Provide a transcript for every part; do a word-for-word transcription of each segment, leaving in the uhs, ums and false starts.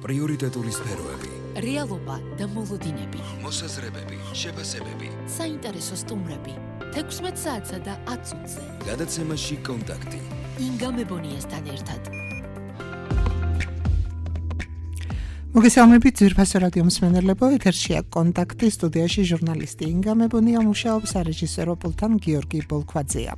პრიორიტეტული სფეროები, რეალობა და მოლოდინები, მოსაზრებები, შეფასებები, საინტერესო სტუმრები, თექვსმეტ საათსა და ათ წუთზე. გადაცემაში კონტაქტი. ინგა მებონიასთან ერთად. მოგესალმებით ძვირფასო რადიო მსმენელებო, ეთერშია კონტაქტი, სტუდიაში ჟურნალისტი ინგა მებონია მუშაობს, რეჟისორო პულთან გიორგი ბოლქვაძეა.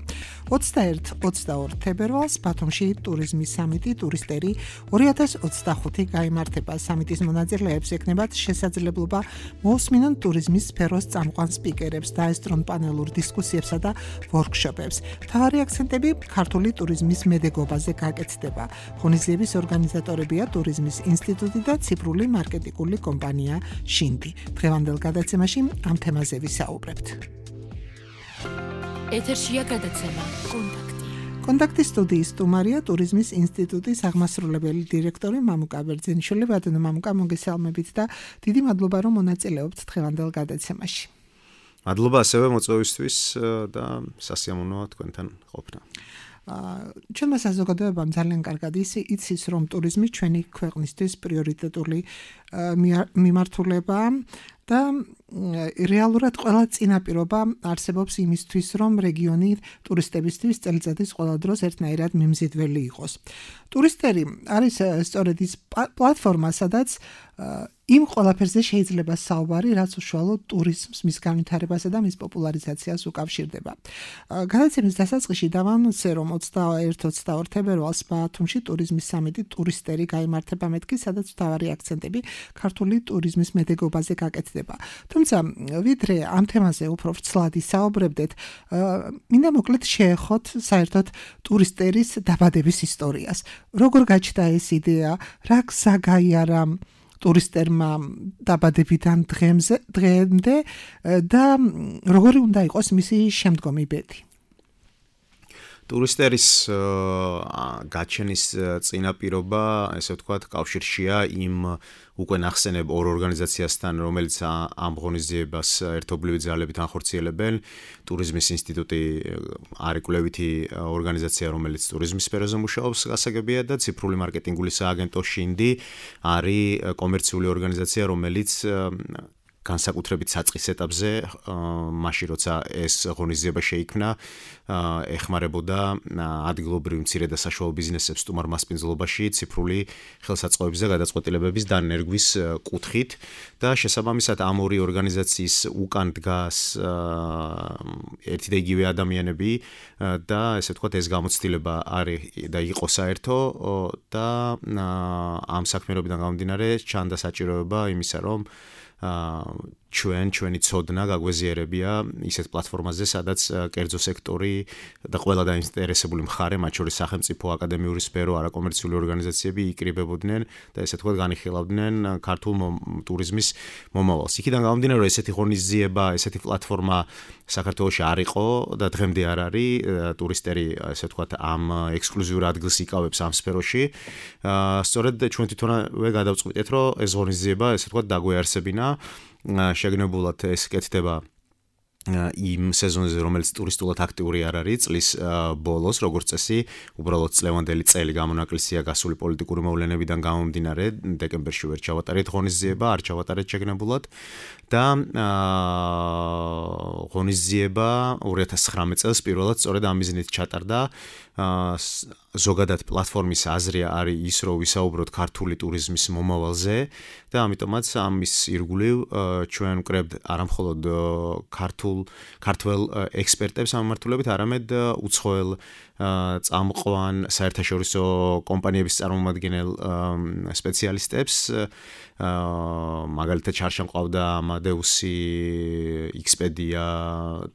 ოცდაერთი ოცდაორი თებერვალს ბათუმში ტურიზმის სამიტი ტურისტერი ორი ათას ოცდახუთი გაიმართება. სამიტის მონაწილეებს ექნებათ შესაძლებლობა მოусმინონ ტურიზმის სფეროს წამყვან სპიკერებს, დაესწრონ პანელურ დისკუსიებსა და ვორქშოპებს. მთავარი აქცენტები ქართული ტურიზმის მედეგობაზე გაკეთდება. ღონისძიების ორგანიზატორებია ტურიზმის ინსტიტუტი და ციფრული მარკეტინგული კომპანია შინდი. დღევანდელ გადაცემაში ამ თემაზე ვისაუბრებთ. ეთერშია გადაცემა კონტაქტი. კონტაქტის სტუდიის სტუმარია ტურიზმის ინსტიტუტის აღმასრულებელი დირექტორი მამუკა ბერძენიშვილი. ბატონო მამუკა, მოგესალმებით და დიდი მადლობა რომ მონაწილეობთ დღევანდელ გადაცემაში. მადლობა ასევე მოწვევისთვის და სასიამოვნოა თქვენთან ყოფნა. ჩვენმა საზოგადოებამ ძალიან კარგად იცის, რომ ტურიზმი ჩვენი ქვეყნისთვის პრიორიტეტული მიმართულებაა და რეალურად ყველა წინაპირობა არსებობს იმისთვის, რომ რეგიონი ტურისტებისთვის წელიწადის ყველა დროს ერთნაირად მიმზიდველი იყოს. ტურისტერი არის სწორედ ის პლატფორმა, სადაც იმ ყველაფერზე შეიძლება საუბარი, რაც უშუალოდ ტურიზმს, მის განვითარებასა და მის პოპულარიზაციას უკავშირდება. გადაცემის დასაწყისში დავანონსე, რომ ოცდაერთი ოცდაორი თებერვალს ბათუმში ტურიზმის სამიტი ტურისტერი გაიმართება მეთქი, სადაც მთავარი აქცენტები ქართული ტურიზმის მედეგობაზე გაკეთდება. თუმცა, ვიდრე ამ თემაზე უფრო ვრცლად ისაუბრებდეთ, მინდა მოკლედ შეეხოთ საერთოდ ტურისტერის დაბადების ისტორიას. როგორ გაჩნდა ეს იდეა, რა გზა გაიარა ტურისტერმა დაბადებიდან დღემდე და როგორი უნდა იყოს მისი შემდგომი ბედი. ტურისტერის გაჩენის წინაპირობა, ესე ვთქვათ, კავშირშია იმ უკვე ნახსენებ ორ ორგანიზაციასთან, რომელიც ამ ღონისძიებას ერთობლივი ძალებით ანხორციელებენ. ტურიზმის ინსტიტუტი არის კვლევითი ორგანიზაცია, რომელიც ტურიზმის სფეროზე მუშაობს, გასაგებია და ციფრული მარკეტინგული სააგენტო შინდი არის კომერციული ორგანიზაცია, რომელიც განსაკუთრებით საწყის ეტაპზე, მაშინ როცა ეს ღონისძიება შეიქმნა, ეხმარებოდა ადგილობრივ მცირე და საშუალო ბიზნესებს სტუმარ მასპინძლობაში ციფრული ხელსაწყოების და გადაწყვეტილებების დანერგვის კუთხით და შესაბამისად ამ ორი ორგანიზაციის უკან დგას ერთი და იგივე ადამიანები და ესე ვთქვათ ეს გამოცდილება არის და იყო საერთო და ამ საქმიანობიდან გამომდინარე ჩანდა საჭიროება იმისა, რომ ჩვენ ჩვენი ცოდნა გაგვეზიარებია ისეთ პლატფორმაზე, სადაც კერძო სექტორი და ყველა დაინტერესებული მხარე, მათ შორის სახელმწიფო, აკადემიური სფერო, არაკომერციული ორგანიზაციები იკრიბებოდნენ და ესე თქვა განიხილავდნენ ქართულ ტურიზმის მომავალს. იქიდან გამომდინარე, რომ ესეთი ღონისძიება, ესეთი პლატფორმა საქართველოში არ იყო და დღემდე არ არის, ტურისტერი ესე თქვა ამ ექსკლუზიურ ადგილს იკავებს ამ სფეროში. სწორედ ჩვენ თვითონვე გადავწყვიტეთ, რომ ეს ღონისძიება ესე თქვა დაგვეარსებინა. შეგნებულად ეს კეთდება იმ სეზონზე, რომელიც ტურისტულად აქტიური არ არის, წლის ბოლოს, როგორც წესი, უბრალოდ წლევანდელი წელი გამონაკლისია გასული პოლიტიკური მოვლენებიდან გამომდინარე, დეკემბერში ვერ ჩავატარეთ ღონისძიება, არ ჩავატარეთ შეგნებულად და ღონისძიება ორი ათას ცხრამეტ წელს პირველად სწორედ ამ მიზნით ჩატარდა. ზოგადად პლატფორმის აზრი არის ის, რომ ვისაუბროთ ქართული ტურიზმის მომავალზე და ამიტომაც ამის ირგვლივ ჩვენ ვკრებთ არამხოლოდ ქართულ ქართველ ექსპერტებს ამ მიმართულებით, არამედ უცხოელ წამყვან საერთაშორისო კომპანიების წარმომადგენელ სპეციალისტებს. მაგალითად ჩარშან ყავდა Amadeus-ი, Expedia,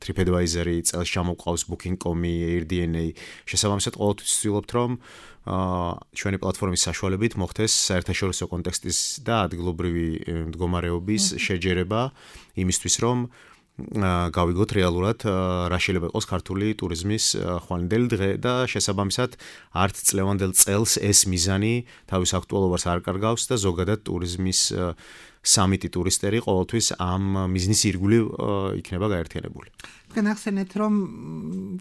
TripAdvisor-ი, წელს ჩამოყავს Booking dot com-ი, Airbnb. შესაბამისად ყოველთვის ვცდილობთ, რომ ჩვენი პლატფორმის საშუალებით მოხდეს საერთაშორისო კონტექსტის და ადგილობრივი მდგომარეობის შეჯერება იმისთვის, რომ გავიგოთ რეალურად რა შეიძლება იყოს ქართული ტურიზმის ხვალინდელი დღე და შესაბამისად არც წლევანდელ წელს ეს მიზანი თავის აქტუალობას არ კარგავს და ზოგადად ტურიზმის სამიტი ტურისტერი ყოველთვის ამ მიზნის ირგვლივ იქნება გაერთიანებული. თქვენ ახსენეთ, რომ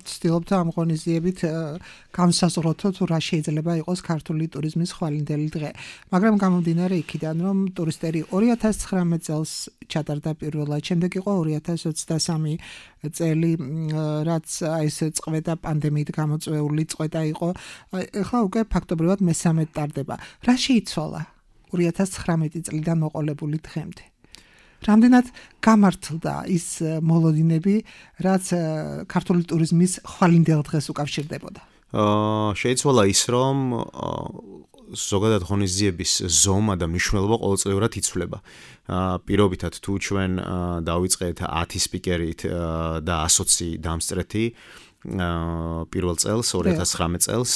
ცდილობთ ამ ღონისძიებით განსაზღვროთ, თუ რა შეიძლება იყოს ქართული ტურიზმის ხვალინდელი დღე. მაგრამ გამომდინარე იქიდან, რომ ტურისტერი ორი ათას ცხრამეტ წელს ჩატარდა პირველად, შემდეგ იყო ორი ათას ოცდასამი წელი, რაც აი ეს წყვეტა პანდემიით გამოწვეული წყვეტა იყო. ახლა უკვე ფაქტობრივად მესამედ ტარდება. რა შეიცვალა ორი ათას ცხრამეტი წლიდან მოყოლებული დღემდე? რამდენად გამართლდა ის მოლოდინები, რაც ქართული ტურიზმის ხვალინდელ დღეს უკავშირდებოდა? აა შეიცვალა ის, რომ ზოგადად ღონისძიების ზომა და მნიშვნელობა ყოველწლიურად იცვლება. პირობითად თუ ჩვენ დავიწყეთ ათი სპიკერით და ასოცი დამსწრეთი პირველ წელს, ორი ათას ცხრამეტ წელს,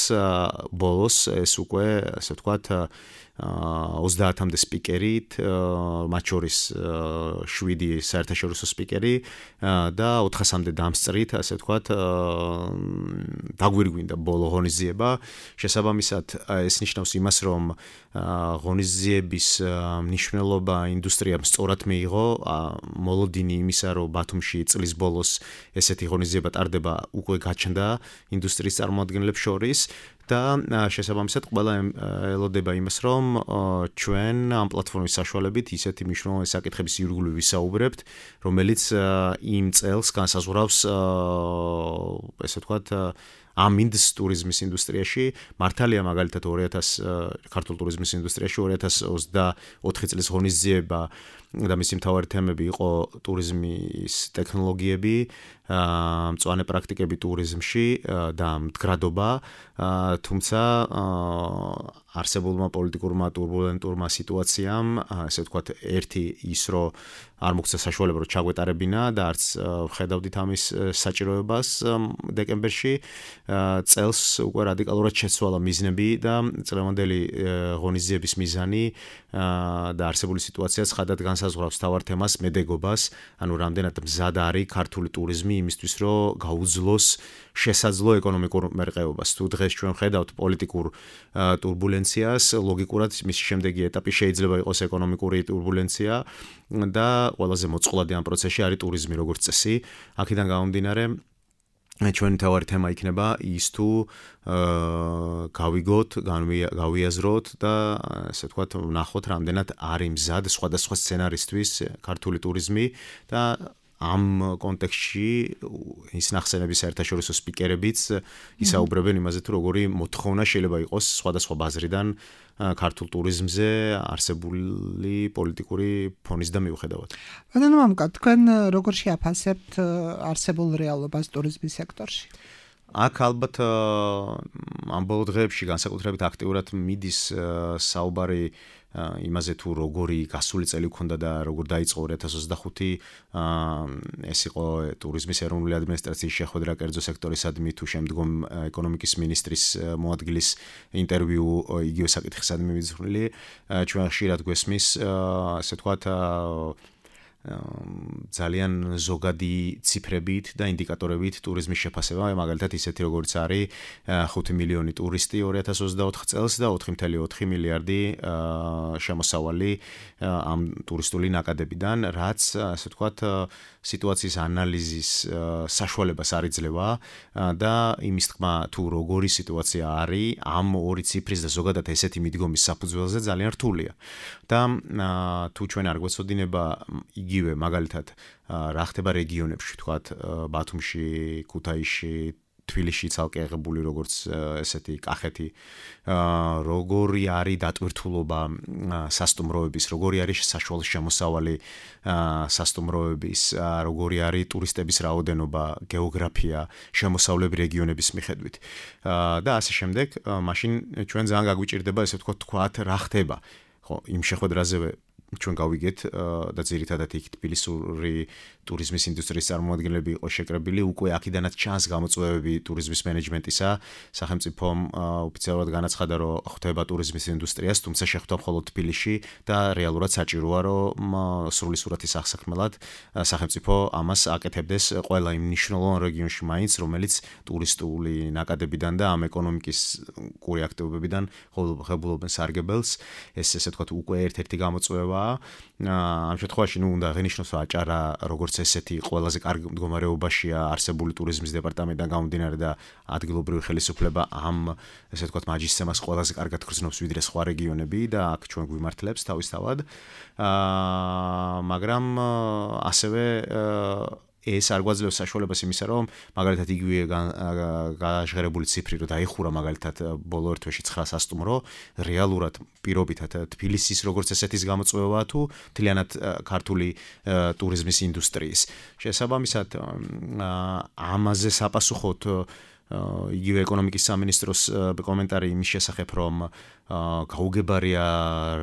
ბოლოს ეს უკვე, ასე ვთქვათ, ოცდაათამდე სპიკერით, მათ შორის შვიდი საერთაშორისო სპიკერი და ოთხასამდე დამსწრით, ასე ვთქვათ, დაგვირგვინდა ბოლო ღონისძიება. შესაბამისად, ეს ნიშნავს იმას, რომ ღონისძიების მნიშვნელობა ინდუსტრიამ სწორად მიიღო. მოლოდინი იმისა, რომ ბათუმში წლის ბოლოს ესეთი ღონისძიება ტარდება, უკვე გაჩნდა ინდუსტრიის წარმომადგენლებს შორის. და შესაბამისად ყველა ელოდება იმას, რომ ჩვენ ამ პლატფორმის საშუალებით ისეთი მნიშვნელოვანი საკითხების ირგვლივ ვისაუბრებთ, რომელიც იმ წელს განსაზღვრავს, ესე ვთქვათ, ამინდს ტურიზმის ინდუსტრიაში. მართალია მაგალითად ორი ათას ქართულ ტურიზმის ინდუსტრიაში ორი ათას ოცდაოთხი წლის ღონისძიება და მისი მთავარი თემები იყო ტურიზმის ტექნოლოგიები, მწვანე პრაქტიკები ტურიზმში და მდგრადობა, თუმცა არსებულმა პოლიტიკურმა ტურბულენტურმა სიტუაციამ, ესე ვთქვათ, ერთი ის, რომ არ მოგცა საშუალება, რომ ჩაგვეტარებინა და არც ვხედავდით ამის საჭიროებას დეკემბერში, წელს უკვე რადიკალურად შეცვალა მიზნები და წლევანდელი ღონისძიების მიზანი და არსებული სიტუაცია ცხადად განსაზღვრავს თავარ თემას, მედეგობას, ანუ რამდენად მზად არის ქართული ტურიზმი იმისთვის, რომ გაუძლოს შესაძლო ეკონომიკურ მერყეობას. თუ დღეს ჩვენ ხედავთ პოლიტიკურ ტურბულენციას, ლოგიკურად მისი შემდეგი ეტაპი შეიძლება იყოს ეკონომიკური ტურბულენცია და ყველაზე მოწყვლადი ამ პროცესში არის ტურიზმი როგორც წესი. აქედან გამომდინარე, ჩვენი თავარი თემა იქნება ის თუ გავიგოთ, გავიაზროთ და ასე ვთქვათ, ვნახოთ რამდენად არის მზად სხვადასხვა სცენარისთვის ქართული ტურიზმი და ამ კონტექსტში ის ნახსენების საერთაშორისო სპიკერებიც ისაუბრებენ იმაზე, თუ როგორი მოთხოვნა შეიძლება იყოს სხვადასხვა ბაზრიდან ქართულ ტურიზმზე არსებული პოლიტიკური ფონის და მიუხედავად. ბატონო მამუკა, თქვენ როგორ შეაფასებთ არსებულ რეალობას ტურიზმის სექტორში? აქ ალბათ ამ ბოლო დღეებში განსაკუთრებით აქტიურად მიდის საუბარი იმაზე, თუ როგორი გასული წელი გქონდა და როგორ დაიწყო ორი ათას ოცდახუთი, ეს იყო ტურიზმის ეროვნული ადმინისტრაციის შეხვედრა კერძო სექტორისადმი, თუ შემდგომ ეკონომიკის მინისტრის მოადგილის ინტერვიუ იგივე საკითხისადმი მიზრული. ჩვენ ხშირად გვესმის, ასე ვთქვათ, ძალიან ზოგადი ციფრებით და ინდიკატორებით ტურიზმის შეფასება, მაგალითად ისეთი როგორც არის ხუთი მილიონი ტურისტი ორი ათას ოცდაოთხ წელს და ოთხი კoma ოთხი მილიარდი შემოსავალი ამ ტურისტული ნაკადებიდან, რაც ასე ვთქვათ სიტუაციის ანალიზის საშუალებას არ იძლევა და იმის თქმა, თუ როგორი სიტუაცია არის ამ ორი ციფრის და ზოგადად ესეთი მიდგომის საფუძველზე ძალიან რთულია. და თუ ჩვენ არ გვეცოდინება იგივე მაგალითად რა ხდება რეგიონებში, თქვათ ბათუმში, ქუთაისში, თბილისში ცალკე აღებული როგორც ესეთი კახეთი, როგორი არის დატვირთულობა სასტუმროების, როგორი არის საშუალო შემოსავალი სასტუმროების, როგორი არის ტურისტების რაოდენობა, გეოგრაფია, შემოსავლები რეგიონების მიხედვით და ასე შემდეგ, მაშინ ჩვენ ძალიან გაგვიჭირდება ესე ვთქვათ, რა ხდება. ხო, იმ შეხვედრაზევე ჩვენ გავიგეთ და ძირითადად იქ თბილისური ტურიზმის ინდუსტრიის წარმომადგენლები იყო შეკრებილი, უკვე აქედანაც ჩანს გამოწვევები ტურიზმის მენეჯმენტისა. სახელმწიფომ ოფიციალურად განაცხადა, რომ ხვდება ტურიზმის ინდუსტრიას, თუმცა შეხვდა მხოლოდ თბილისში და რეალურად საჭიროა, რომ სრული სურათის აღსაქმნელად სახელმწიფო ამას აკეთებდეს ყველა იმ მნიშვნელოვან რეგიონში მაინც, რომელიც ტურისტული ნაკადებიდან და ამ ეკონომიკის კური აქტივობებიდან ღებულობენ სარგებელს. ეს ესე ვთქვათ, უკვე ერთ-ერთი გამოწვევა ხდება. ამ შემთხვევაში ნუ უნდა აღინიშნოს, რომ აჭარა როგორც ესეთი ყველაზე კარგ მდგომარეობაშია არსებული ტურიზმის დეპარტამენტიდან გამომდინარე და ადგილობრივი ხელისუფლება ამ ესე ვთქვათ მაჯისცემას ყველაზე კარგად გრძნობს ვიდრე სხვა რეგიონები და აქ ჩვენ გვიმართლებს თავისთავად. აა მაგრამ ასევე ეს არ გვაძლევს საშუალებას იმისა, რომ მაგალითად იგივე გაჟღერებული ციფრი, რომ დაიხურა მაგალითად ბოლო ერთ თვეში ცხრას სტუმრო, რეალურად პირობითად თბილისის როგორც ესეთის გამოწვევაა თუ მთლიანად ქართული ტურიზმის ინდუსტრიის. შესაბამისად, ამაზე საპასუხოდ იგივე ეკონომიკის სამინისტროს კომენტარი იმის შესახებ, რომ გაუგებარია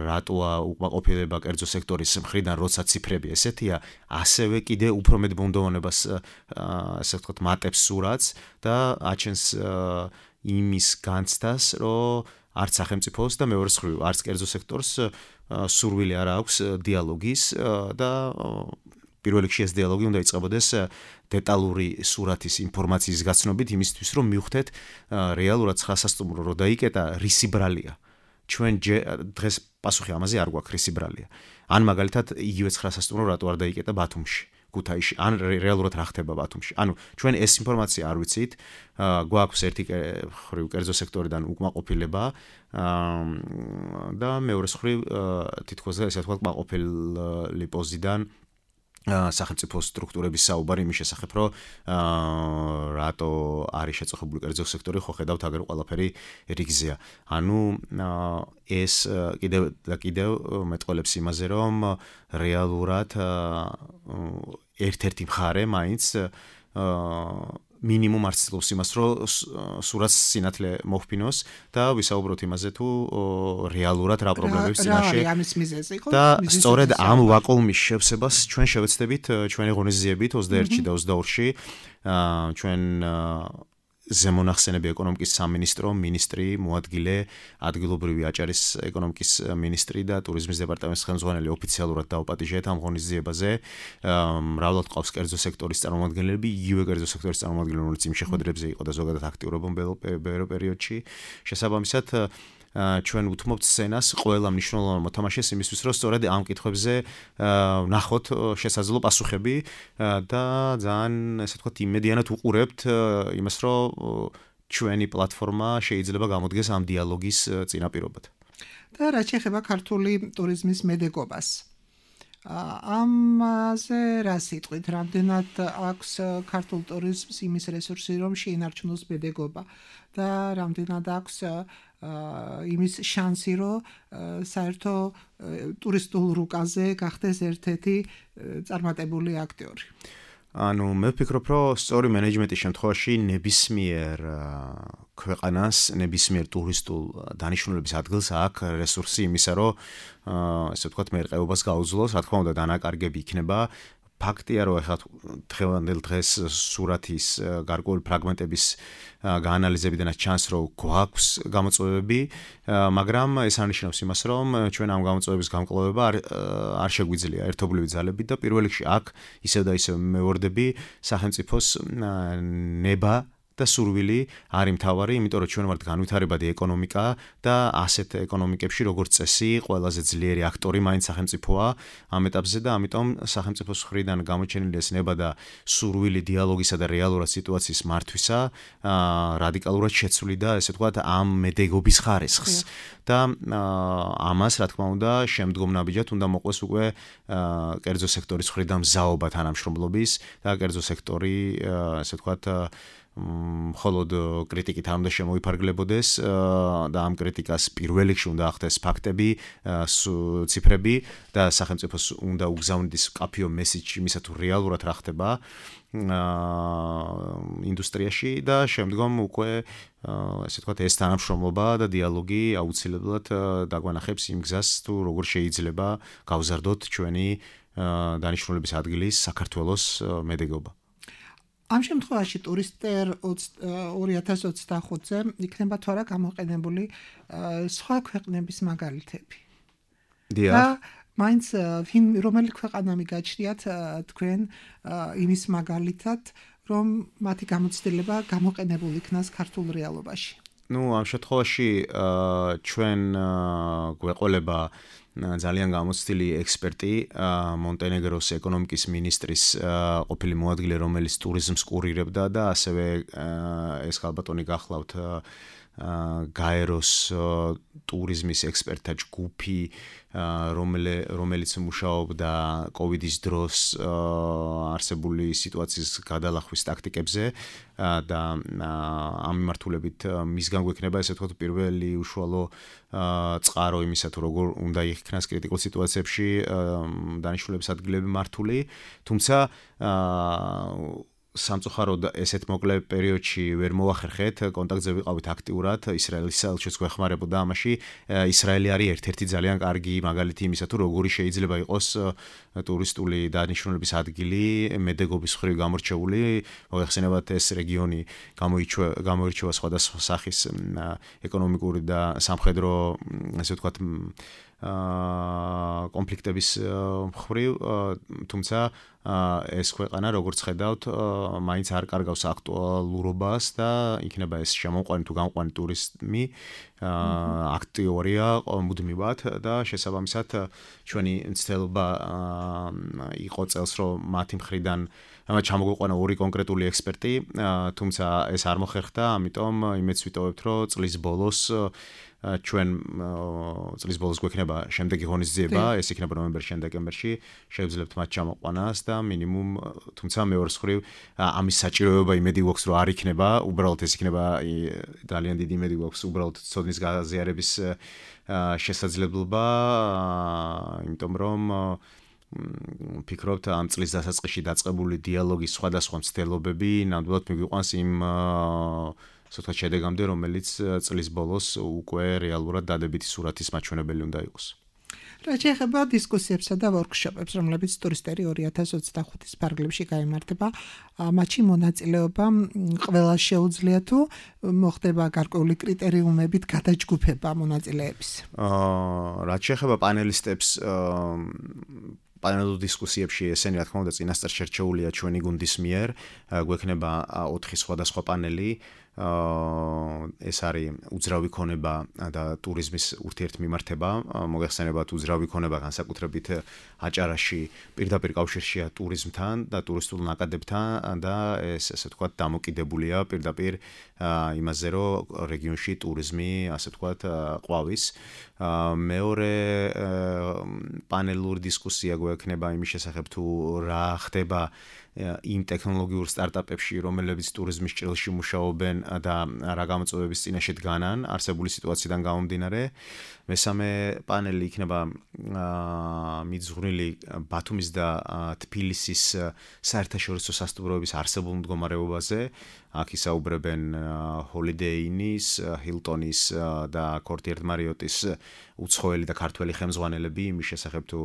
რატოა უკმაყოფილება კერძო სექტორის მხრიდან, როცა ციფრები ესეთია, ასევე კიდე უფრო მეტ ბუნდოვანებას ასე ვთქვათ მატებს სურათს და აჩენს იმის განცდას, რომ არც სახელმწიფოს და მეორე მხრივ არც კერძო სექტორს სურვილი არ აქვს დიალოგის და პირველ რიგში ეს დიალოგი უნდა იწყებოდეს დეტალური სურათის ინფორმაციის გაცნობით იმისთვის, რომ მივხვდეთ რეალურად ცხრასასტუმრო რო დაიკეტა რისი ბრალია. ჩვენ დღეს პასუხი ამაზე არ გვაქვს რისი ბრალია. ან მაგალითად იგივე ცხრასასტუმრო რატო არ დაიკეტა ბათუმში, ქუთაისში, ან რეალურად რა ხდება ბათუმში. ანუ ჩვენ ეს ინფორმაცია არ ვიცით, გვაქვს ერთი ხრივ კერძო სექტორიდან უკმაყოფილება და მეორე ხრივ თითქოს ესე ვთქვათ კმაყოფილი პოზიდან სახელმწიფო სტრუქტურების საუბარი იმის შესახებ, რომ რატო არის შეწუხებული კერძო სექტორი, ხო ხედავთ აგერ ყველაფერი რიგზეა. ანუ ეს კიდევ და კიდევ მეტყოლებს იმაზე, რომ რეალურად ერთ-ერთი მხარე მაინც მინიმუმ არ ცდილობს იმას, რომ სურათს სინათლე მოჰფინოს და ვისაუბროთ იმაზე, თუ რეალურად რა პრობლემებს წინაშე და სწორედ ამ ვაკუუმის შევსებას ჩვენ შევეცდებით ჩვენი ღონისძიებით ოცდაერთში და ოცდაორში ჩვენ ზემონახსენები ეკონომიკის სამინისტრო, მინისტრი, მოადგილე, ადგილობრივი აჭარის ეკონომიკის მინისტრი და ტურიზმის დეპარტამენტის ხელმძღვანელი ოფიციალურად დაუპატიჟეთ ამ ღონისძიებაზე. მრავლად ყავს კერძო სექტორის წარმომადგენლები, იგივე კერძო სექტორის წარმომადგენლები, რომელიც იმ შეხვედრებზე იყო და ზოგადად აქტიურობენ ბოლო პერიოდში. შესაბამისად, ჩვენ უთმობთ სცენას ყველა მნიშვნელოვან მოთამაშეს იმისთვის, რომ სწორედ ამ კითხვებზე ნახოთ შესაძლო პასუხები და ძალიან ესე ვთქვათ იმედიანად უყურებთ იმას, რომ ჩვენი პლატფორმა შეიძლება გამოდგეს ამ დიალოგის წინაპირობად. და რაც შეეხება ქართული ტურიზმის მედეგობას. ამაზე რა სიტყვით, რამდენად აქვს ქართულ ტურიზმს იმის რესურსი, რომ შეინარჩუნოს მედეგობა და რამდენად აქვს იმის შანსი, რომ საერთო ტურისტულ რუკაზე გახდეს ერთ-ერთი წარმატებული აქტიორი. ანუ მე ვფიქრობ, რომ სწორი მენეჯმენტის შემთხვევაში ნებისმიერ ქვეყანას, ნებისმიერ ტურისტულ დანიშნულების ადგილს აქვს რესურსი იმისა, რომ ესე ვთქვათ მერყეობას გაუძლოს, რა თქმა უნდა დანაკარგები იქნება. ფაქტია, რომ ახლა დღევანდელ დღეს სურათის გარკვეული ფრაგმენტების გაანალიზებიდანაც ჩანს, რომ გვაქვს გამოწვევები, მაგრამ ეს არნიშნავს იმას, რომ ჩვენ ამ გამოწვევების გამკლავება არ არ შეგვიძლია ერთობლივი ძალებით და პირველ რიგში აქ ისევ და ისევ მევორდები სახელმწიფოს ნება და სურვილი არის მთავარი, იმიტომ რომ ჩვენ ვართ განვითარებადი ეკონომიკა და ასეთ ეკონომიკებში როგორც წესი ყველაზე ძლიერი აქტორი მაინც სახელმწიფოა ამ ეტაპზე და ამიტომ სახელმწიფოს მხრიდან გამოჩენილი ეს ნება და სურვილი დიალოგისა და რეალურად სიტუაციის მართვისა რადიკალურად შეცვლიდა, ესე ვთქვათ, ამ მედეგობის ხარისხს. და ამას, რა თქმა უნდა, შემდგომ ნაბიჯად უნდა მოყვეს უკვე კერძო სექტორის მხრიდან მზაობა თანამშრომლობის და კერძო სექტორი, ესე ვთქვათ, მხოლოდ კრიტიკით არ უნდა შემოიფარგლებოდეს და ამ კრიტიკას პირველ რიგში უნდა ახდეს ფაქტები, ციფრები და სახელმწიფოს უნდა უგზავნიდეს მკაფიო მესიჯი იმისა, თუ რეალურად რა ხდება ინდუსტრიაში და შემდგომ უკვე ესე ვთქვათ ეს თანამშრომლობა და დიალოგი აუცილებლად დაგვანახებს იმ გზას, თუ როგორ შეიძლება გავზარდოთ ჩვენი დანიშნულების ადგილის საქართველოს მედეგობა. ამ შემთხვევაში ტურისტერ ორი ათას ოცდახუთზე იქნება თუ არა გამოყენებული სხვა ქვეყნების მაგალითები. და მაინც რომელი ქვეყანა მიგაჩნიათ თქვენ იმის მაგალითად, რომ მათი გამოცდილება გამოყენებული იქნას ქართულ რეალობაში. ну, ამ შემთხვევაში ჩვენ გვეყოლება ძალიან გამოცდილი ექსპერტი მონტენეგროს ეკონომიკის მინისტრის ყოფილი მოადგილე, რომელიც ტურიზმს კურირებდა და ასევე ეს ხალბატონი გახლავთ გაეროს ტურიზმის ექსპერტთა ჯგუფი, რომელიც მუშაობდა კოვიდის დროს არსებული სიტუაციის გადალახვის ტაქტიკებზე და ამ მიმართულებით მისგან გვექნება ესე ვთქვათ პირველი უშუალო წყარო იმისა თუ როგორ უნდა იქნას კრიტიკულ სიტუაციებში დანიშნულების ადგილები მართული, თუმცა სამწუხაროდ ესეთ მოკლე პერიოდში ვერ მოახერხეთ, კონტაქტზე ვიყავით აქტიურად, ისრაელის საელჩოც გვეხმარებოდა ამაში. ისრაელი არის ერთ-ერთი ძალიან კარგი მაგალითი იმისა, თუ როგორი შეიძლება იყოს ტურისტული დანიშნულების ადგილი, მედეგობის მხრივ გამორჩეული. მოიხსენებათ ეს რეგიონი გამოირჩევა სხვადასხვა სახის ეკონომიკური და სამხედრო, ასე ვთქვათ, კონფლიქტების მხრივ, თუმცა ეს ქვეყანა როგორც ხედავთ, მაინც არ კარგავს აქტუალურობას და იქნება ეს შემოყვანი თუ გამყვანი ტურიზმი აქტიურია მუდმივად და შესაბამისად ჩვენი ცდილობა იყო წელს რომ მათი მხრიდან ჩამოგვიყვანა ორი კონკრეტული ექსპერტი, თუმცა ეს არ მოხერხდა, ამიტომ იმედს ვიტოვებთ რომ წლის ბოლოს ჩვენ წლის ბოლოს გვექნება შემდეგი ღონისძიება, ეს იქნება ნოემბერ-დეკემბერში, შევძლებთ მათ ჩამოყვანას და მინიმუმ, თუმცა მეორე მხრივ ამის საჭიროება იმედი გვაქვს რომ არ იქნება, უბრალოდ ეს იქნება ძალიან დიდი იმედი გვაქვს უბრალოდ ცოდნის გაზიარების შესაძლებლობა, იმიტომ რომ ფიქრობთ ამ წლის დასაწყისში დაწყებული დიალოგის სხვადასხვა მცდელობები ნამდვილად მიგვიყვანს იმ სოთა შედეგამდე, რომელიც წლის ბოლოს უკვე რეალურად დადებითი სურათის მაჩვენებელი უნდა იყოს. რა შეეხება დისკუსიებსა და ვორქშოპებს, რომლებიც ტურისტერი ორი ათას ოცდახუთის ფარგლებში გაიმართება, მათში მონაწილეობა ყველა შეუძლია თუ მოხდება გარკვეული კრიტერიუმებით გადაჯგუფება მონაწილეების? რა შეეხება პანელისტებს, პანელურ დისკუსიებში ესენი რა თქმა უნდა წინასწარ შერჩეულია ჩვენი გუნდის მიერ, გვექნება ოთხი სხვადასხვა პანელი. ეს არის უძრავი ქონება და ტურიზმის ურთიერთმიმართება, მოგეხსენებათ უძრავი ქონება განსაკუთრებით აჭარაში პირდაპირ კავშირშია ტურიზმთან და ტურისტულ ნაკადებთან და ეს ესე ვთქვათ დამოკიდებულია პირდაპირ იმაზე, რომ რეგიონში ტურიზმი ასე ვთქვათ ყვავის. მეორე პანელური დისკუსია გვექნება იმის შესახებ თუ რა ხდება იმ ტექნოლოგიურ სტარტაპებში, რომლებიც ტურიზმის ჭრილში მუშაობენ და რა გამოწვევების წინაშე დგანან არსებული სიტუაციიდან გამომდინარე. მესამე პანელი იქნება მიძღვნილი ბათუმის და თბილისის საერთაშორისო სასტუმროების არსებულ მდგომარეობაზე. აქ ისაუბრებენ Holiday Inn-ის, Hilton-ის და Courtyard Marriott-ის უცხოელი და ქართველი ხელმძღვანელები იმის შესახებ თუ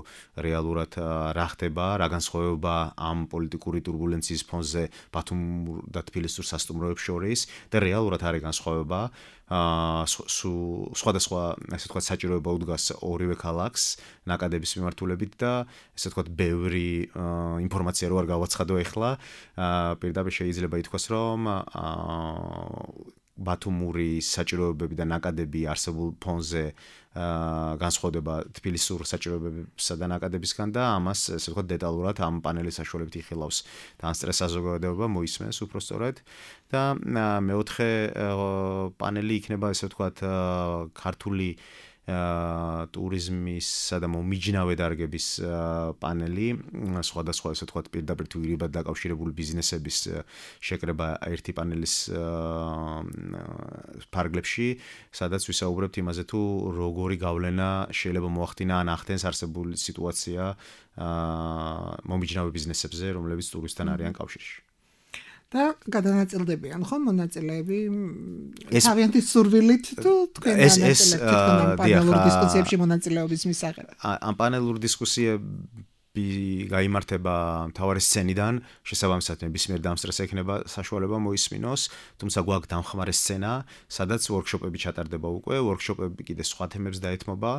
რეალურად რა ხდება, რა განსხვავება ამ პოლიტიკური турბულენციის ფონზე ბათუმ და თბილისურ სასტუმროებს შორის და რეალურად არის განსხვავება. სხვადასხვა ასე ვთქვათ საჭიროება უდგას ორივე ქალაქს ნაკადების მიმართულებით და ასე ვთქვათ ბევრი ინფორმაცია რო არ გავაცხადო ეხლა, პირდაპირ შეიძლება ითქვას რომ ბათუმური საჭიროებები და ნაკადები არსებულ ფონზე განსხვავდება თბილისურ საჭიროებებსა და ნაკადებისგან და ამას ესე ვთქვათ დეტალურად ამ პანელის საშუალებით იხილავს და ან სტრეს საზოგადოება მოისმენს უფრო სწორედ და მეოთხე პანელი იქნება ესე ვთქვათ ქართული ტურიზმისა და მომიჯნავე დარგების პანელი, სხვადასხვა ესე ვთქვათ პირდაპირ თუ ირიბად დაკავშირებული ბიზნესების შეკრება ერთი პანელის ფარგლებში, სადაც ვისაუბრებთ იმაზე თუ როგორი გავლენა შეიძლება მოახდინა ან ახდენს არსებული სიტუაცია მომიჯნავე ბიზნესებზე, რომლებიც ტურისტთან არიან კავშირში. და გადანაწილდებიან ხო მონაწილეები თავიანთი სურვილით თუ თქვენ განაწილებთ პანელურ დისკუსიებში მონაწილეობის მისაღებ? ამ პანელურ დისკუსიები გაიმართება მთავარი სცენიდან, შესაბამისად ნებისმიერ დამსწრეს ექნება საშუალება მოისმინოს, თუმცა გვაქვს დამხმარე სცენა, სადაც ვორქშოპები ჩატარდება უკვე, ვორქშოპები კიდე სხვა თემებს დაეთმობა.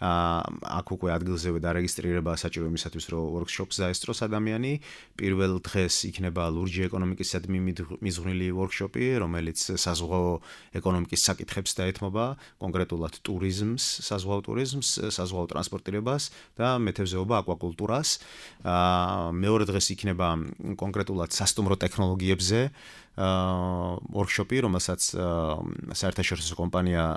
აქ უკვე ადგილზევე დარეგისტრირება საჭირო იმისათვის, რომ workshop-ს დაესწროს ადამიანი. პირველ დღეს იქნება ლურჯი ეკონომიკისადმი მიზღვნილი workshop-ი, რომელიც საზღვაო ეკონომიკის საკითხებს დაეთმობა, კონკრეტულად ტურიზმს, საზღვაო ტურიზმს, საზღვაო ტრანსპორტირებას და მეთევზეობა აკვაკულტურას. მეორე დღეს იქნება კონკრეტულად სასტუმრო ტექნოლოგიებზე workshop-ი, რომელსაც საერთაშორისო კომპანია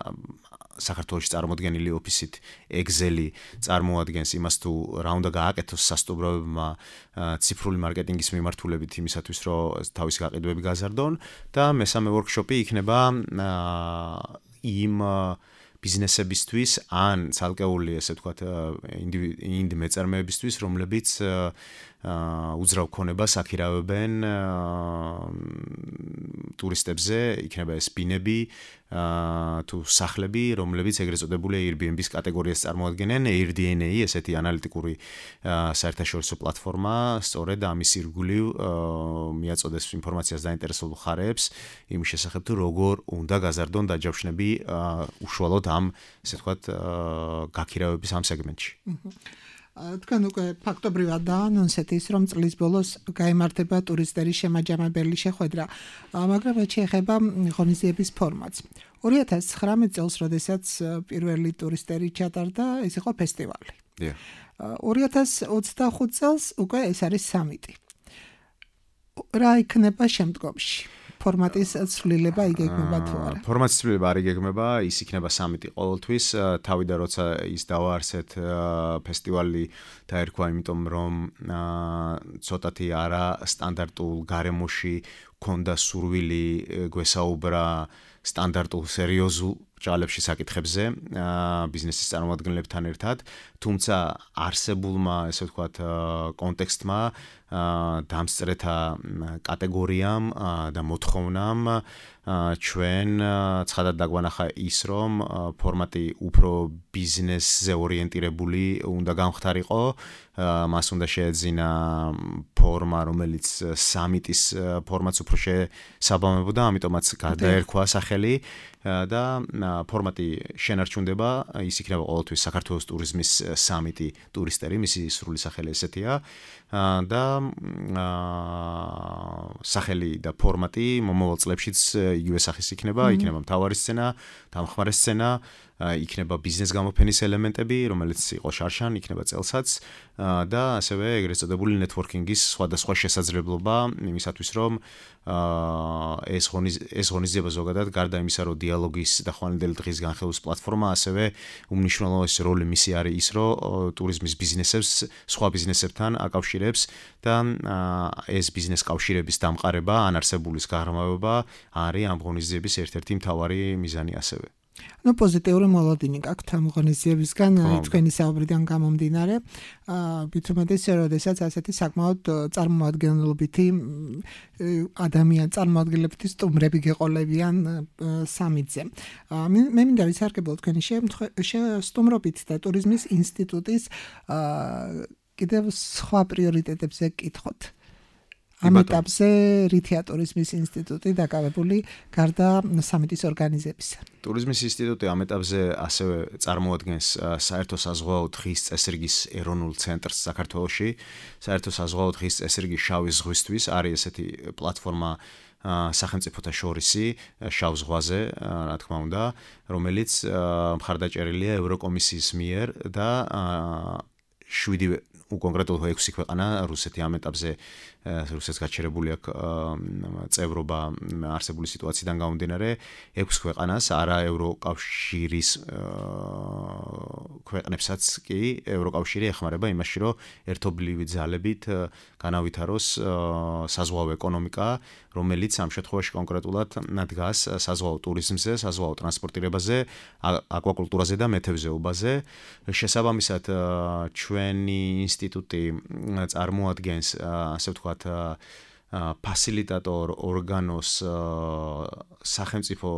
საქართველოში წარმოდგენილი ოფისით Excel-ი წარმოადგენს იმას თუ რა უნდა გააკეთოს სასტუმროებმა ციფრული მარკეტინგის მიმართულებით იმისათვის, რომ თავისი გაყიდვები გაზარდონ და მესამე workshop-ი იქნება იმ ბიზნესებისთვის ან ცალკეული ესე ვთქვათ ინდივიდი მეწარმეებისთვის, რომლებიც უძრავ ქონებას აქირავებენ ტურისტებზე, იქნება ეს ბინები თუ სახლები, რომლებიც ეგრეთ წოდებული Airbnb-ის კატეგორიას წარმოადგენენ. AirDNA ესეთი ანალიტიკური საერთაშორისო პლატფორმა სწორედ ამის ირგვლივ მიაწოდეს ინფორმაციას დაინტერესებულ მხარეებს იმის შესახებ თუ როგორ უნდა გაზარდონ დაჯავშნები უშუალოდ ამ ესე ვთქვათ გაქირავების ამ სეგმენტში. თქვენ უკვე ფაქტობრივად დაანონსეთ ის, რომ წლის ბოლოს გაიმართება ტურისტების შემაჯამებელი შეხვედრა, მაგრამ რაც შეეხება ღონისძიების ფორმატს. ორი ათას ცხრამეტ წელს, როდესაც პირველი ტურისტები ჩატარდა, ეს იყო ფესტივალი. ორი ათას ოცდახუთ წელს უკვე ეს არის სამიტი. რა იქნება შემდგომში? ფორმატის ცვლილება იგეგმება თუ არა? ფორმატის ცვლილება არ იგეგმება, ის იქნება სამიტი ყოველთვის. თავიდან როცა ის დავაარსეთ ფესტივალი დაერქვა, იმიტომ რომ ცოტათი არა სტანდარტულ გარემოში ქონდა სურვილი გვესაუბრა სტანდარტულ სერიოზულ ჭალებში საკითხებზე ბიზნესის წარმომადგენლებთან ერთად, თუმცა არსებულმა ესე ვთქვათ კონტექსტმა დამსწრეთა კატეგორიამ და მოთხოვნამ ჩვენ ცხადად დაგვანახა ის, რომ ფორმატი უფრო ბიზნესზე ორიენტირებული უნდა გამხდარიყო, მას უნდა შეეძინა ფორმა, რომელიც სამიტის ფორმატს უფრო შესაბამებოდა, ამიტომაც გადაერქვა სახელი და ფორმატი შენარჩუნდება, ის იქნება ყოველთვის საქართველოს ტურიზმის სამიტი ტურისტები, მისი სრული სახელი ესეთია და სახელი და ფორმატი მომავალ წლებშიც იგივე სახის იქნება, იქნება მთავარი სცენა, დამხმარე სცენა, იქნება ბიზნეს გამოფენის ელემენტები, რომელიც იყო შარშან, იქნება წელსაც და ასევე ეგრეთ წოდებული ნეტვორკინგის სხვადასხვა შესაძლებლობა იმისათვის, რომ ეს ეს ღონისძიება ზოგადად გარდა იმისა, რომ დიალოგის და ხვალინდელი დღის განხილვის პლატფორმა, ასევე უმნიშვნელოვანესი როლი მისი არის ის, რომ ტურიზმის ბიზნესებს სხვა ბიზნესებთან აკავშირებს და ეს ბიზნეს კავშირების დამყარება, ან არსებულის გაღრმავება არის ამ ღონისძიების ერთ-ერთი მთავარი მიზანი ასევე. ნუ პოზიტიური მოლოდინი გაქვთ ამ ღონისძიებისგან, თქვენი საუბრიდან გამომდინარე, ვთქვით, როდესაც ასეთი საკმაოდ წარმოადგენლობითი ადამიან წარმოადგენლებითი სტუმრები გეყოლებიან სამიტზე. მე მინდა ვისარგებლო თქვენი სტუმრობით და ტურიზმის ინსტიტუტის კიდევ სხვა პრიორიტეტებზე კითხოთ. ამ ეტაპზე რითია ტურიზმის ინსტიტუტი დაკავებული გარდა სამიტის ორგანიზებისა? ტურიზმის ინსტიტუტი ამ ეტაპზე ასევე წარმოადგენს საერთო საზღვაო დღის წესრიგის ეროვნულ ცენტრს საქართველოში. საერთო საზღვაო დღის წესრიგი შავი ზღვისთვის არის ესეთი პლატფორმა სახელმწიფოთა შორისი შავ ზღვაზე, რა თქმა უნდა, რომელიც მხარდაჭერილია ევროკომისიის მიერ და შვიდი კონკრეტულად ექვსი ქვეყანა, რუსეთი ამ ეტაპზე რუსეთს გაჩერებული აქვს წევრობა არსებული სიტუაციიდან გამომდინარე, ექვს ქვეყანას, არა ევროკავშირის ქვეყნებსაც კი ევროკავშირი ეხმარება იმაში, რომ ერთობლივი ძალებით განავითაროს საზღვაო ეკონომიკა, რომელიც ამ შემთხვევაში კონკრეტულად დგას საზღვაო ტურიზმზე, საზღვაო ტრანსპორტირებაზე, აკვაკულტურაზე და მეთევზეობაზე. შესაბამისად, ჩვენი ინსტიტუტი წარმოადგენს, ასე ვთქვათ, ფასილიტატორ ორგანოს სახელმწიფო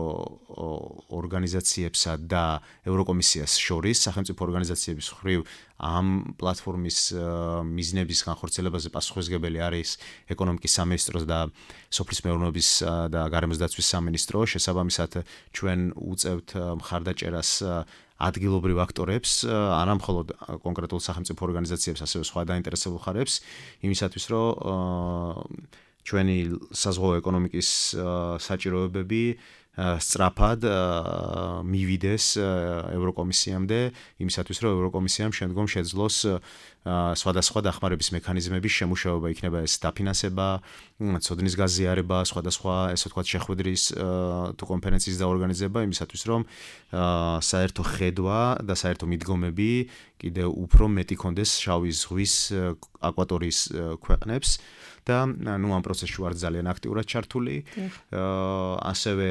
ორგანიზაციებსა და ევროკომისიას შორის, სახელმწიფო ორგანიზაციების მხრივ ამ პლატფორმის მიზნების განხორციელებაზე პასუხისმგებელი არის ეკონომიკის სამინისტრო და სოფლის მეურნეობის და გარემოს დაცვის სამინისტრო. შესაბამისად, ჩვენ უწევთ მხარდაჭერას ადგილობრივ აქტორებს, არა მხოლოდ კონკრეტულ სახელმწიფო ორგანიზაციებს, ასევე სხვა დაინტერესებულ ხარებს, იმისათვის, რომ ჩვენი საზღვაო ეკონომიკის საჭიროებები სწრაფად მივიდეს ევროკომისიამდე, იმისათვის, რომ ევროკომისიამ შემდგომ შეძლოს სხვადასხვა დახმარების მექანიზმების შემუშავება, იქნება ეს დაფინანსება, ცოდნის გაზიარება, სხვადასხვა, ესე ვთქვათ, შეხვედრის თუ კონფერენციის დაორგანიზება, იმისათვის, რომ საერთო ხედვა და საერთო მიდგომები კიდევ უფრო მეტი კონდეს შავი ზღვის აკვატორიის ქვეყნებს და ნუ ამ პროცესში ვარ ძალიან აქტიურად ჩართული. ასევე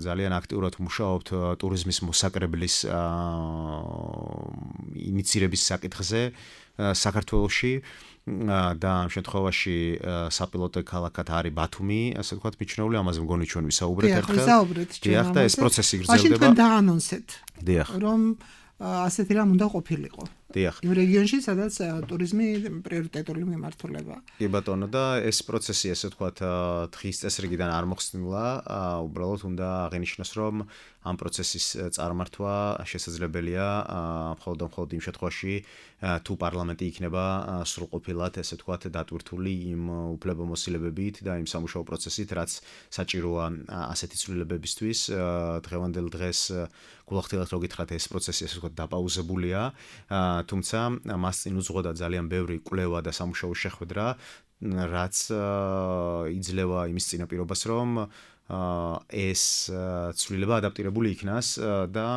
ძალიან აქტიურად მუშაობთ ტურიზმის მოსაკრებლის ინიციირების საკითხზე საქართველოში და ამ შემთხვევაში საპილოტო ქალაქად არის ბათუმი, ასე ვთქვათ, მიჩნეული, ამაზე მგონი ჩვენ ვისაუბრეთ ერთხელ. ვისაუბრეთ ჩვენ. დიახ, და ეს პროცესი გრძელდება. მაშინ თქვენ დაანონსეთ. დიახ. რომ ასეთი რამ უნდა ყოფილიყო. დიახ. იმ რეგიონში, სადაც ტურიზმი პრიორიტეტული მიმართულებაა. კი ბატონო, და ეს პროცესი, ესე ვთქვათ, დღის წესრიგიდან არ მოხსნილა, უბრალოდ უნდა აღინიშნოს, რომ ამ პროცესის წარმართვა შესაძლებელია მხოლოდ და მხოლოდ იმ შემთხვევაში, თუ პარლამენტი იქნება სრულყოფილად, ესე ვთქვათ, დატვირთული იმ უფლებამოსილებებით და იმ სამუშაო პროცესით, რაც საჭიროა ასეთი ცვლილებებისთვის. დღევანდელ დღეს გულახდილად რო გითხრათ, ეს პროცესი, ესე ვთქვათ, დაპაუზებულია, თუმცა მას წინ უძღვოდა ძალიან ბევრი კვლევა და სამუშაო შეხვედრა, რაც იძლევა იმის წინაპირობას, რომ ეს ცვლილება ადაპტირებული იქნას და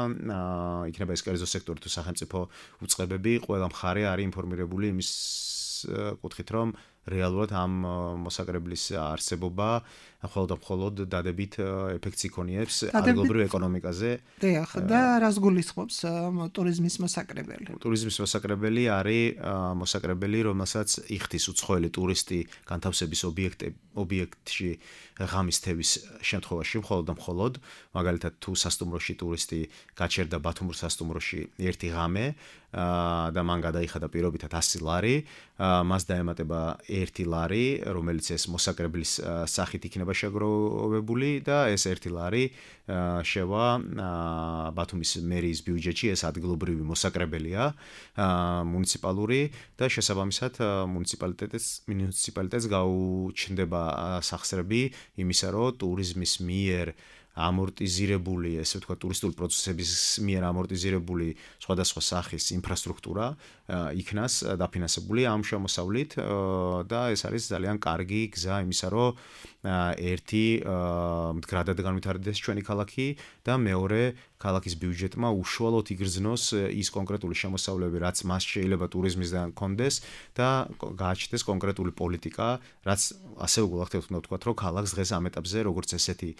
იქნება ეს კერძო სექტორი თუ სახელმწიფო უწყებები, ყველა მხარე არის ინფორმირებული იმის კუთხით, რომ რეალურად ამ მოსაკრებლის არსებობა მხოლოდ და მხოლოდ დადებით ეფექტს იქონიებს ადგილობრივ ეკონომიკაზე. დიახ, და რას გულისხმობს ტურიზმის მოსაკრებელი? ტურიზმის მოსაკრებელი არის მოსაკრებელი, რომელსაც იხდის უცხოელი ტურისტი განთავსების ობიექტში ღამის თევის შემთხვევაში, მხოლოდ და მხოლოდ, მაგალითად, თუ სასტუმროში ტურისტი გაჩერდა ბათუმურ სასტუმროში ერთი ღამე და მან გადაიხადა პირობითად ასი ლარი, მას დაემატება ერთი ლარი, რომელიც ეს მოსაკრებლის სახით იქნება შეგროვებული და ეს ერთი ლარი შევა ბათუმის მერიის ბიუჯეტში, ეს ადგილობრივი მოსაკრებელია, მუნიციპალური და შესაბამისად მუნიციპალიტეტს მუნიციპალიტეტს გაუჩნდება სახსრები იმისა, რომ ტურიზმის მიერ ამორტიზირებული, ესე ვთქვათ, ტურისტული პროცესების მიერ ამორტიზირებული სხვადასხვა სახის ინფრასტრუქტურა იქნას დაფინანსებული ამ შემოსავლით და ეს არის ძალიან კარგი გზა იმისა, რომ ერთი მდგრადად განვითარდეს ჩვენი ქალაქი და მეორე ქალაქის ბიუჯეტმა უშუალოდ იგრძნოს ის კონკრეტული შემოსავლები, რაც მას შეიძლება ტურიზმისგან კონდეს და გააჩნდეს კონკრეტული პოლიტიკა, რაც ასევე გულახდილად უნდა ვთქვათ, რომ ქალაქს დღეს ამ ეტაპზე როგორც ესეთი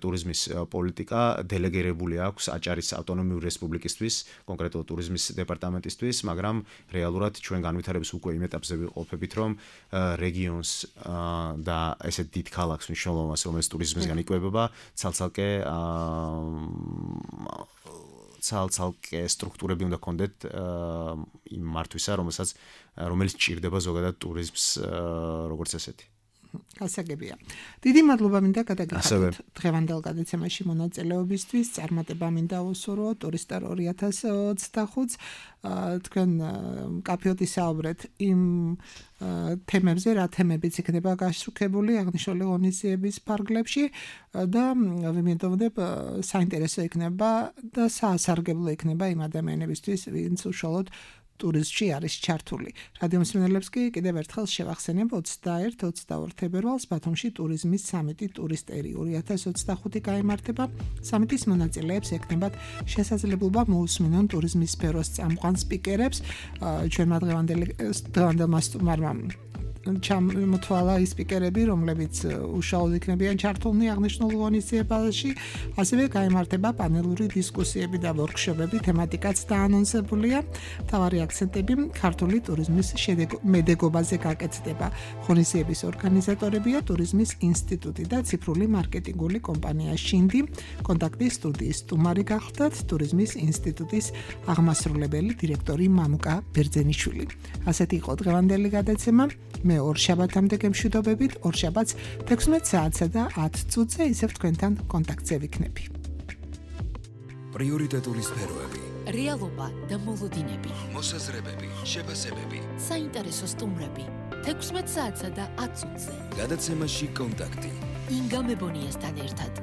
ტურიზმის პოლიტიკა დელეგირებული აქვს აჭარის ავტონომიური რესპუბლიკისთვის, კონკრეტულად ტურიზმის დეპარტამენტისთვის, მაგრამ რეალურად ჩვენ განვითარების უკვე იმ ეტაპზე ვიყოფებით, რომ რეგიონს და ესეთ დიდ ქალაქს მნიშვნელოვანს, რომელიც ტურიზმისგან იკვებება, ცალ-ცალკე ცალ-ცალკე სტრუქტურები უნდა ქონდეთ იმ მართვისა, რომელსაც რომელიც ჭირდება ზოგადად ტურიზმს როგორც ესეთი. გასაგებია. დიდი მადლობა მინდა გადაგიხადოთ დღევანდელ გადაცემაში მონაწილეობისთვის. წარმატება მინდა უსურვო ტურისტარ ორი ათას ოცდახუთს. თქვენ მკაფიოდ ისაუბრეთ იმ თემებზე, რა თემებიც იქნება გაშუქებული აღნიშნული ღონისძიების ფარგლებში და ვიმედოვნებ საინტერესო იქნება და საასარგებლო იქნება იმ ადამიანებისთვის, ვინც უშუალოდ ტურიზმში არის ჩართული. რადიო მსმენელებს კი კიდევ ერთხელ შევახსენებ ოცდაერთი ოცდაორი თებერვალს ბათუმში ტურიზმის სამიტი ტურისტერი ორი ათას ოცდახუთი გაიმართება. სამიტის მონაწილეებს ექნებათ შესაძლებლობა მოусმინონ ტურიზმის სფეროს წამყვან სპიკერებს. ჩვენმა დღევანდელმა სტუმარმა ჩამოთვალა ის სპიკერები, რომლებიც უშუალოდ იქნებიან ჩართულნი აღნიშნულ ღონისძიებაში. ასევე გაიმართება პანელური დისკუსიები და ვორქშოპები, თემატიკაც დაანონსებულია. მთავარი აქცენტები ქართული ტურიზმის მედეგობაზე გაკეთდება. ღონისძიების ორგანიზატორებია ტურიზმის ინსტიტუტი და ციფრული მარკეტინგული კომპანია შინდი. კონტაქტის სტუდიის სტუმარი გახლდათ ტურიზმის ინსტიტუტის აღმასრულებელი დირექტორი მამუკა ბერძენიშვილი. ასეთი იყო დღევანდელი გადაცემა. მე ორ შაბათამდე გემშვიდობებით, ორ შაბათს თექვსმეტ საათსა და ათ წუთზე ისევ თქვენთან კონტაქტზე ვიქნები. პრიორიტეტული სფეროები რეალობა და მოლოდინები, მოსაზრებები, შეფასებები. საინტერესო სტუმრები. თექვსმეტ საათსა და ათ წუთზე. გადაცემაში კონტაქტი. ინგა მებონიასთან ერთად.